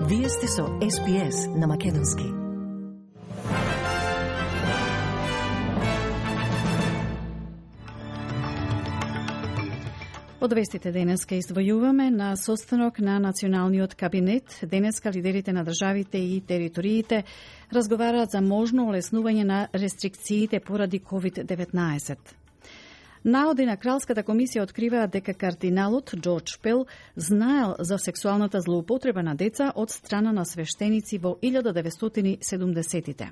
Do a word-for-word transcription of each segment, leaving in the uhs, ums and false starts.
Вие сте со Ес Би Ес на Македонски. Од вестите денеска издвојуваме на состанок на Националниот кабинет. Денеска лидерите на државите и териториите разговараат за можно олеснување на рестрикциите поради ковид деветнаесет. Наоди на Кралската комисија откриваат дека кардиналот Џорџ Пел знаел за сексуалната злоупотреба на деца од страна на свештеници во илјада деветстотини и седумдесетите.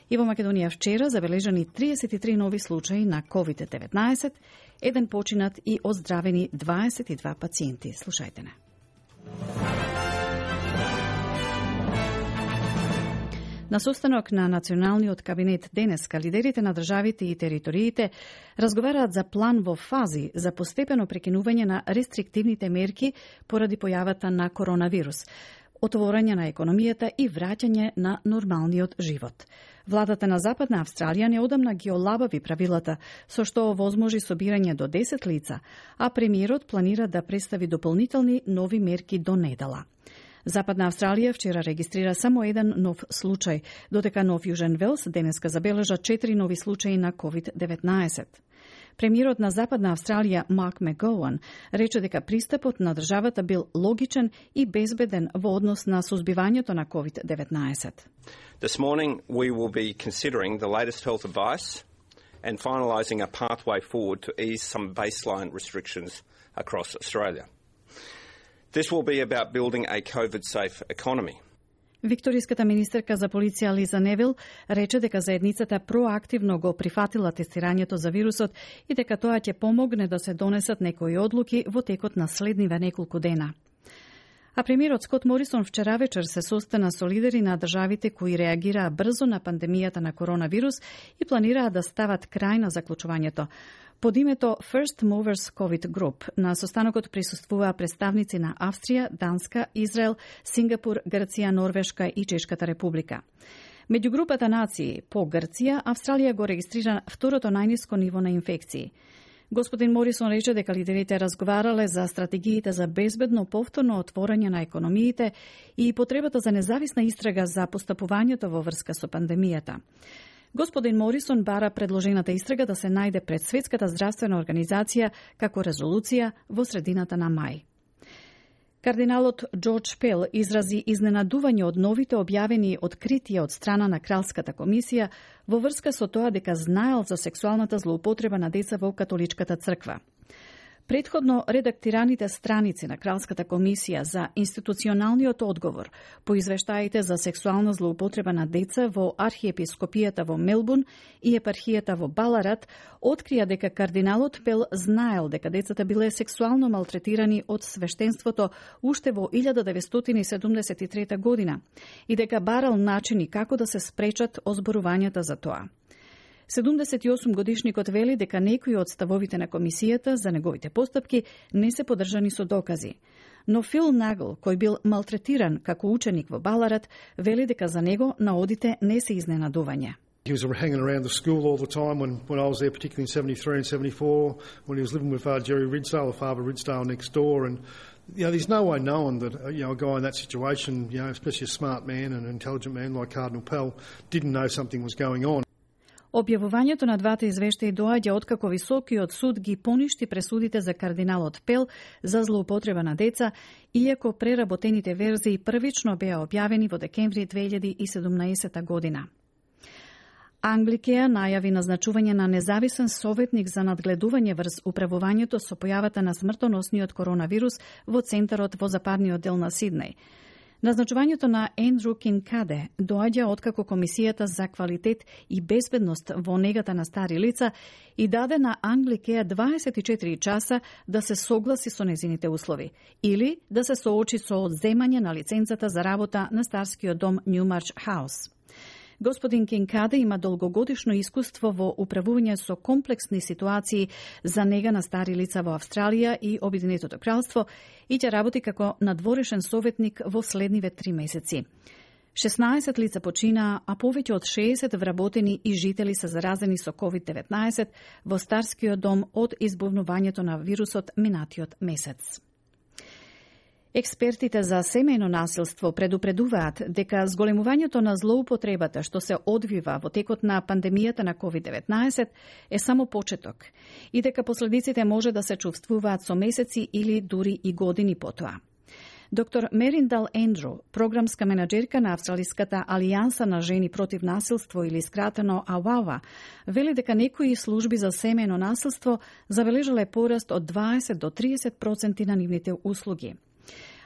И во Македонија вчера забележани триесет и три нови случаи на ковид деветнаесет, еден починат и оздравени дваесет и два пациенти. Слушајте не. На состанок на Националниот кабинет денеска лидерите на државите и териториите разговараат за план во фази за постепено прекинување на рестриктивните мерки поради појавата на коронавирус, отворање на економијата и враќање на нормалниот живот. Владата на Западна Австралија неодамна ги олабави правилата, со што овозможи собирање до десет лица, а премиерот планира да представи дополнителни нови мерки до недела. Западна Австралија вчера регистрира само еден нов случај, додека Нов Јужен Велс денеска забележа четири нови случаи на ковид деветнаесет. Премиерот на Западна Австралија Марк Макгоуан рече дека пристапот на државата бил логичен и безбеден во однос на сузбивањето на ковид деветнаесет. This morning we will be considering the latest health advice and finalising a pathway forward to ease some baseline restrictions across Australia. This will be about building a COVID-safe economy. Викториската министерка за полиција Лиза Невил рече дека заедницата проактивно го прифатила тестирањето за вирусот и дека тоа ќе помогне да се донесат некои одлуки во текот на следниве неколку дена. А премиерот Скот Морисон вчера вечер се состана со лидери на државите кои реагираа брзо на пандемијата на коронавирус и планираа да стават крај на заклучувањето. Под името First Movers COVID Group на состанокот присуствуваа представници на Австрија, Данска, Израел, Сингапур, Грција, Норвешка и Чешката република. Меѓу групата нации по Грција, Австралија го регистрира второто најниско ниво на инфекции. Господин Морисон рече дека лидерите разговарале за стратегиите за безбедно повторно отворање на економиите и потребата за независна истрага за постапувањето во врска со пандемијата. Господин Морисон бара предложената истрага да се најде пред Светската здравствена организација како резолуција во средината на мај. Кардиналот Џорџ Пел изрази изненадување од новите објавени откритија од страна на Кралската комисија во врска со тоа дека знаел за сексуалната злоупотреба на деца во католичката црква. Предходно редактираните страници на Кралската комисија за институционалниот одговор по извештаите за сексуална злоупотреба на деца во архиепископијата во Мелбурн и епархијата во Баларат открија дека кардиналот Пел знаел дека децата биле сексуално малтретирани од свештенството уште во илјада деветстотини и седумдесет и трета година и дека барал начини како да се спречат озборувањата за тоа. седумдесет и осум годишникот вели дека некои од ставовите на комисијата за неговите постапки не се поддржани со докази. Но Фил Нагл, кој бил малтретиран како ученик во Баларат, вели дека за него наодите не се изненадување. He was hanging around the school all the time when, when I was there, particularly in seventy-three and seventy-four, when he was living with uh, Jerry Ridsdale, or Father Ridsdale next door. And, you know, there's no way knowing that, uh, you know, a guy in that situation, you know, especially a smart man and an intelligent man like Cardinal Pell, didn't know something was going on. Објавувањето на двата извештаи доаѓа откако Високиот суд ги поништи пресудите за кардиналот Пел за злоупотреба на деца, иако преработените верзии првично беа објавени во декември две илјади и седумнаесета година. Англикеја најави назначување на независен советник за надгледување врз управувањето со појавата на смртоносниот коронавирус во центарот во западниот дел на Сиднеј. Назначувањето на Ендру Кинкаде доаѓа откако Комисијата за квалитет и безбедност во негата на стари лица и даде на Англикеја дваесет и четири часа да се согласи со незините услови или да се соочи со одземање на лиценцата за работа на старскиот дом Ньюмарч Хаус. Господин Кинкаде има долгогодишно искуство во управување со комплексни ситуации за нега на стари лица во Австралија и Обединетото кралство и ќе работи како надворешен советник во следниве три месеци. шеснаесет лица починаа, а повеќе од шеесет вработени и жители се заразени со ковид деветнаесет во старскиот дом од избувнувањето на вирусот минатиот месец. Експертите за семејно насилство предупредуваат дека зголемувањето на злоупотребата што се одвива во текот на пандемијата на ковид деветнаесет е само почеток и дека последиците може да се чувствуваат со месеци или дури и години потоа. Доктор Мериндал Ендру, програмска менаџерка на Австралиската алијанса на жени против насилство или скратено АВАВА, вели дека некои служби за семејно насилство забележале пораст од дваесет до тридесет проценти на нивните услуги.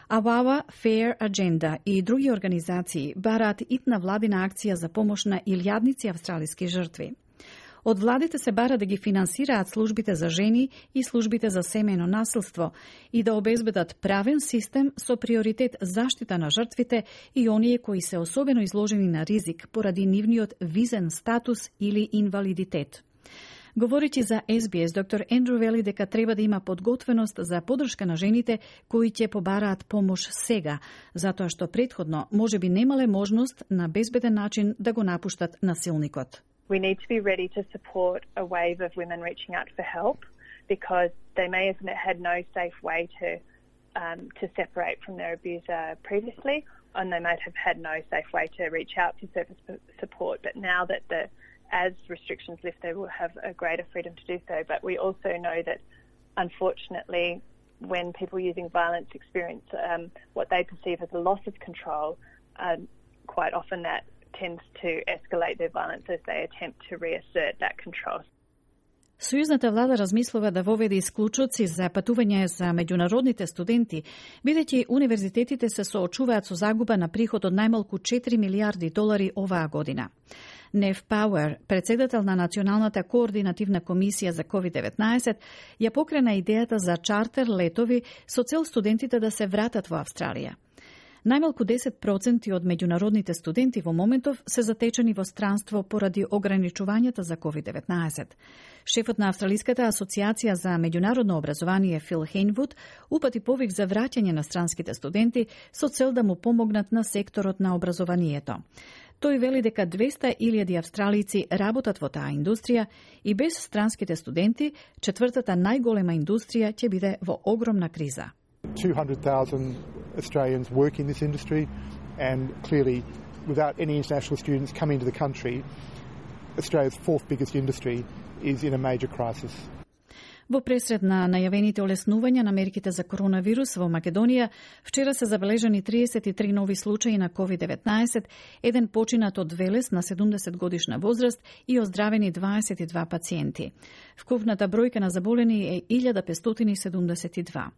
АВАВА, Fair Agenda и други организации бараат итна владина акција за помош на илјадници австралиски жртви. Од владите се бара да ги финансираат службите за жени и службите за семејно насилство и да обезбедат правен систем со приоритет заштита на жртвите и оние кои се особено изложени на ризик поради нивниот визен статус или инвалидитет. Говоричи за Ес Би Ес, доктор Ендру вели дека треба да има подготвеност за поддршка на жените кои ќе побараат помош сега, затоа што претходно можеби немале можност на безбеден начин да го напуштат насилникот. We need to be ready to support a wave of women reaching out for help because they may have had no safe way to um, to separate from their abuser previously, and they might have had no safe way to reach out for service support. But now that the as restrictions lift, they will have a greater freedom to do so. But we also know that, unfortunately, when people using violence experience um, what they perceive as a loss of control, um, quite often that tends to escalate their violence as they attempt to reassert that control. Сојузната влада размислува да воведе исклучоци за патување за меѓународните студенти, бидејќи универзитетите се соочуваат со загуба на приход од најмалку четири милијарди долари оваа година. Нев Пауер, председател на Националната координативна комисија за ковид деветнаесет, ја покрена идејата за чартер летови со цел студентите да се вратат во Австралија. Најмалку десет проценти од меѓународните студенти во моментов се затечени во странство поради ограничувањата за ковид деветнаесет. Шефот на Австралиската асоциација за меѓународно образование Фил Хейнвуд упати повик за враќање на странските студенти со цел да му помогнат на секторот на образованието. Тој вели дека двеста илјади австралици работат во таа индустрија и без странските студенти, четвртата најголема индустрија ќе биде во огромна криза. two hundred thousand Australians work in this industry, and clearly without any international students coming to the country, Australia's fourth biggest industry is in a major crisis. Во пресред на најавените олеснувања на мерките за коронавирус во Македонија, вчера се забележани триесет и три нови случаи на ковид деветнаесет, еден починат од велес на седумдесет годишна возраст и оздравени дваесет и два пациенти. Вкупната бројка на заболени е илјада петстотини седумдесет и два.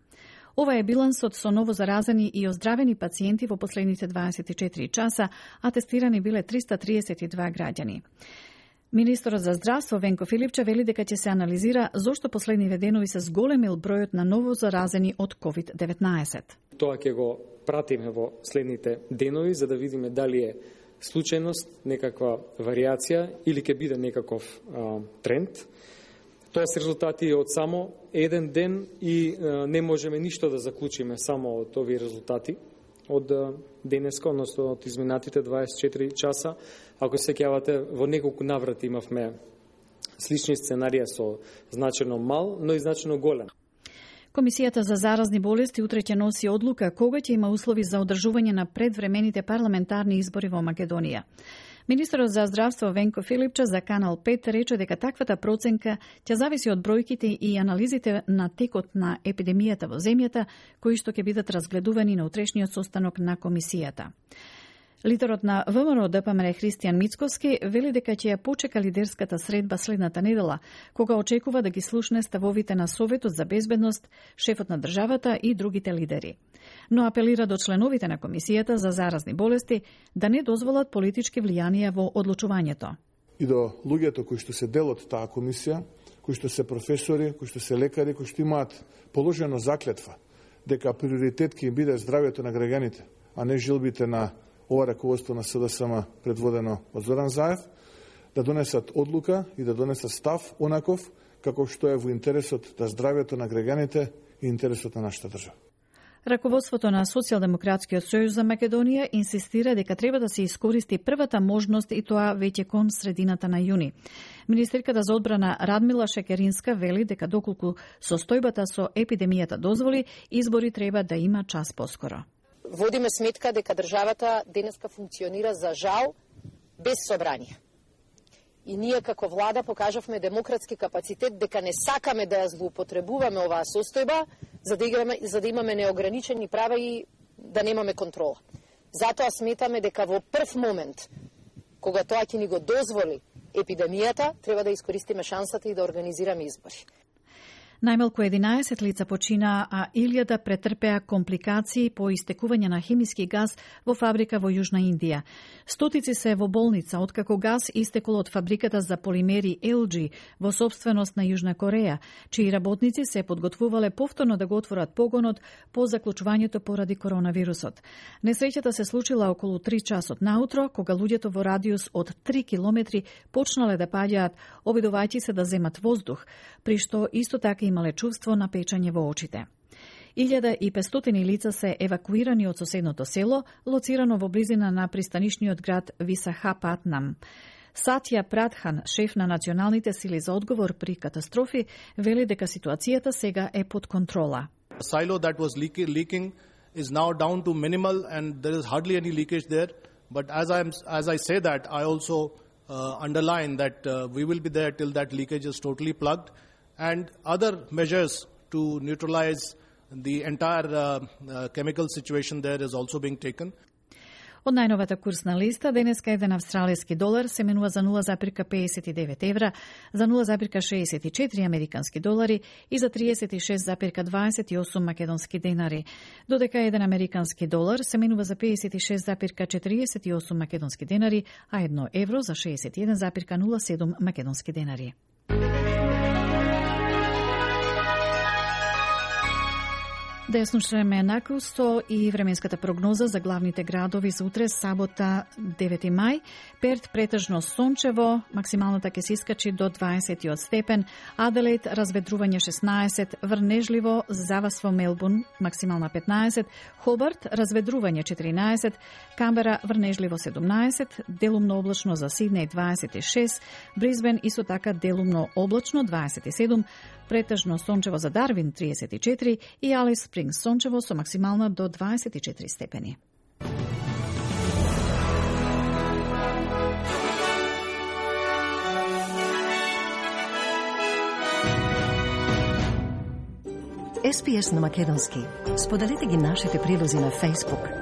Ова е билансот со ново заразени и оздравени пациенти во последните дваесет и четири часа, а тестирани биле триста триесет и два граѓани. Министерот за здравство Венко Филипче вели дека ќе се анализира зошто последниве денови се зголемил бројот на ново заразени од ковид деветнаесет. Тоа ќе го пратиме во следните денови за да видиме дали е случајност, некаква варијација или ќе биде некаков а, тренд. Тоа се резултати од само еден ден и а, не можеме ништо да заклучиме само од овие резултати од денеска, односно од изминатите дваесет и четири часа. Ако се сеќавате, во неколку наврати имавме слични сценарија со значено мал, но и значено голем. Комисијата за заразни болести утре ќе носи одлука кога ќе има услови за одржување на предвремените парламентарни избори во Македонија. Министерот за здравство Венко Филипче за Канал пет рече дека таквата проценка ќе зависи од бројките и анализите на текот на епидемијата во земјата, кои што ќе бидат разгледувани на утрешниот состанок на комисијата. Лидерот на ВМРО Д П М Р Христијан Мицкоски вели дека ќе ја почека лидерската средба следната недела, кога очекува да ги слушне ставовите на Советот за безбедност, шефот на државата и другите лидери. Но апелира до членовите на Комисијата за заразни болести да не дозволат политички влијанија во одлучувањето. И до луѓето кои што се дел од таа комисија, кои што се професори, кои што се лекари, кои што имаат положено заклетва дека приоритет ќе им биде здравјето на граѓаните, а не жилбите на ова раководство на С Д С М предводено од Зоран Заев, да донесат одлука и да донесат став онаков како што е во интересот да здравјето на граѓаните и интересот на нашата држава. Раководството на Социјалдемократскиот сојуз за Македонија инсистира дека треба да се искористи првата можност и тоа веќе кон средината на јуни. Министерката за одбрана Радмила Шекеринска вели дека доколку состојбата со епидемијата дозволи, избори треба да има час поскоро. Водиме сметка дека државата денеска функционира за жал без собрание. И ние како влада покажавме демократски капацитет дека не сакаме да ја злоупотребуваме оваа состојба за да, играме, за да имаме неограничени права и да немаме контрола. Затоа сметаме дека во прв момент, кога тоа ќе ни го дозволи епидемијата, треба да искористиме шансата и да организираме избори. Најмалку единаесет лица почина, а илјада претрпеа компликации по истекување на хемиски газ во фабрика во Јужна Индија. Стотици се во болница откако газ истекол од фабриката за полимери Ел Џи во собственост на Јужна Кореја, чии работници се подготвувале повторно да го отворат погонот по заклучувањето поради коронавирусот. Несреќата се случила околу три часот наутро, кога луѓето во радиус од три километри почнале да паѓаат, обидувајќи се да земат воздух, при што исто така имале чувство на печање во очите. илјада и петстотини лица се евакуирани од соседното село, лоцирано во близина на пристанишниот град Висахапатнам. Сатја Прадхан, шеф на националните сили за одговор при катастрофи, вели дека ситуацијата сега е под контрола. The silo that was leaking is now down to minimal and there is hardly any leakage there. But as I am, as I say that, I also uh, underline that uh, we will be there till that leakage is totally plugged. And other measures to neutralize the entire uh, uh, chemical situation there is also being taken. Од најновата курсна листа, денеска еден австралиски долар се менува за нула запирка педесет и девет евра, за нула запирка шеесет и четири американски долари и за тридесет и шест запирка дваесет и осум македонски денари. Додека еден американски долар се менува за педесет и шест запирка четириесет и осум македонски денари, а едно евро за шеесет и еден запирка нула седум македонски денари. Деснушреме накусто и временската прогноза за главните градови за утре, сабота девети мај. Перт претежно сончево, максималната ќе се искачи до дваесет и осем степен, Аделаид разведрување шеснаесет, врнежливо завас во Мелбурн, максимална петнаесет, Хобарт разведрување четиринаесет, Камбера врнежливо седумнаесет, делумно облачно за Сиднеј дваесет и шест, Брисбен исто така делумно облачно дваесет и седум, претежно сончево за Дарвин тридесет и четири и Алис Спрингс сончево со максимална до дваесет и четири степени. Ес Пи Ес на македонски. Споделете ги нашите прилози на Facebook,